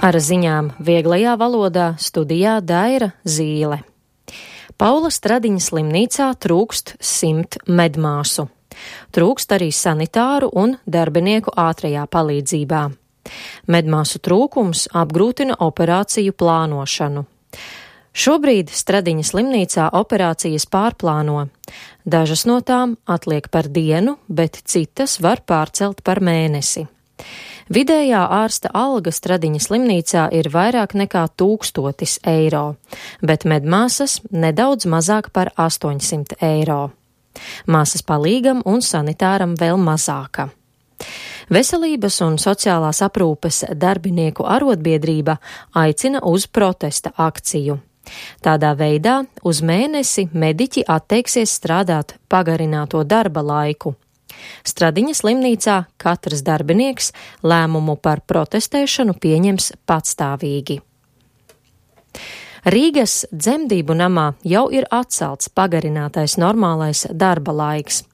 Ar ziņām vieglajā valodā studijā Daira Zīle. Paula Stradiņa slimnīcā trūkst 100 medmāsu. Trūkst arī sanitāru un darbinieku ātrajā palīdzībā. Medmāsu trūkums apgrūtina operāciju plānošanu. Šobrīd Stradiņa slimnīcā operācijas pārplāno. Dažas no tām atliek par dienu, bet citas var pārcelt par mēnesi. Vidējā ārsta alga Stradiņa slimnīcā ir vairāk nekā 1000 eiro, bet medmāsas nedaudz mazāk par 800 eiro. Māsas palīgam un sanitāram vēl mazāka. Veselības un sociālās aprūpes darbinieku arotbiedrība aicina uz protesta akciju. Tādā veidā uz mēnesi mediķi atteiksies strādāt pagarināto darba laiku. Stradiņa slimnīcā katrs darbinieks lēmumu par protestēšanu pieņems patstāvīgi. Rīgas dzemdību namā jau ir atcelts pagarinātais normālais darba laiks.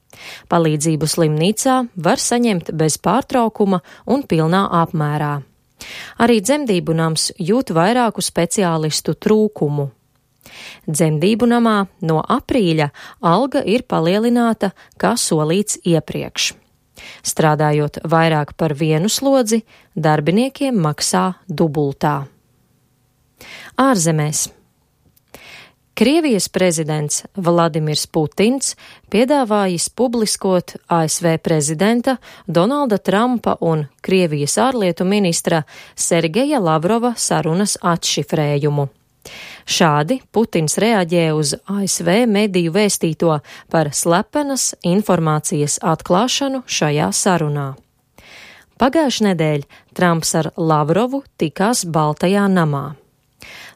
Palīdzību slimnīcā var saņemt bez pārtraukuma un pilnā apmērā. Arī dzemdību nams jūt vairāku speciālistu trūkumu. Dzemdību namā no aprīļa alga ir palielināta, kā solīts iepriekš. Strādājot vairāk par vienu slodzi, darbiniekiem maksā dubultā. Ārzemēs. Krievijas prezidents Vladimirs Putins piedāvājis publiskot ASV prezidenta Donalda Trumpa un Krievijas ārlietu ministra Sergeja Lavrova sarunas atšifrējumu. Šādi Putins reaģē uz ASV mediju vēstīto par slepenas informācijas atklāšanu šajā sarunā. Pagājušajā nedēļā Trumps ar Lavrovu tikās Baltajā namā.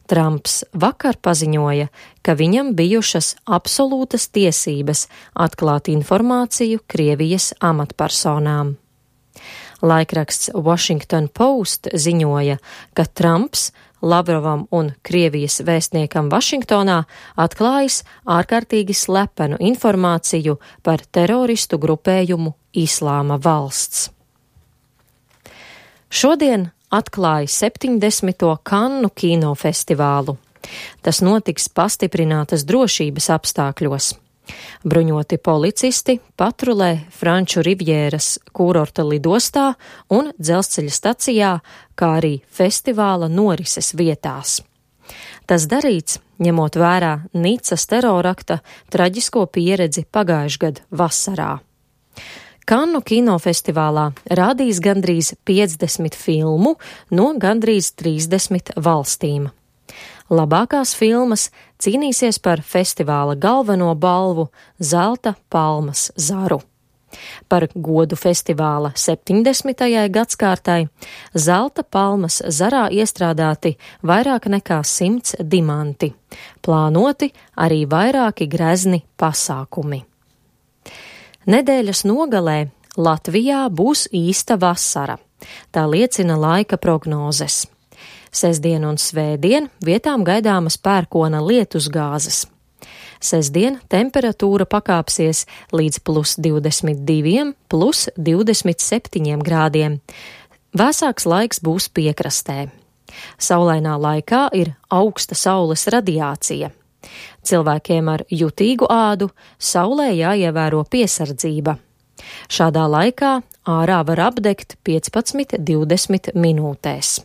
Trumps vakar paziņoja, ka viņam bijušas absolūtas tiesības atklāt informāciju Krievijas amatpersonām. Laikraksts Washington Post ziņoja, ka Trumps Lavrovam un Krievijas vēstniekam Vašingtonā atklājis ārkārtīgi slepenu informāciju par teroristu grupējumu Islāma valsts. Šodien atklāja 70. Kannu kinofestivālu. Tas notiks pastiprinātas drošības apstākļos. Bruņoti policisti patrulē Franču Rivjēras kūrorta lidostā un dzelzceļa stacijā, kā arī festivāla norises vietās. Tas darīts, ņemot vērā Nicas terorakta traģisko pieredzi pagājušā gada vasarā. Kannu kinofestivālā rādīs gandrīz 50 filmu no gandrīz 30 valstīm. Labākās filmas cīnīsies par festivāla galveno balvu Zelta palmas zaru. Par godu festivāla 70. gadskārtai Zelta palmas zarā iestrādāti vairāk nekā 100 dimanti. Plānoti arī vairāki grezni pasākumi. Nedēļas nogalē Latvijā būs īsta vasara. Tā liecina laika prognozes. Sestdien un svētdien vietām gaidāmas pērkona lietusgāzes. Sestdien temperatūra pakāpsies līdz +22, +27 grādiem. Vēsāks laiks būs piekrastē. Saulainā laikā ir augsta saules radiācija. Cilvēkiem ar jutīgu ādu saulē jāievēro piesardzība. Šādā laikā ārā var apdegt 15–20 minūtēs.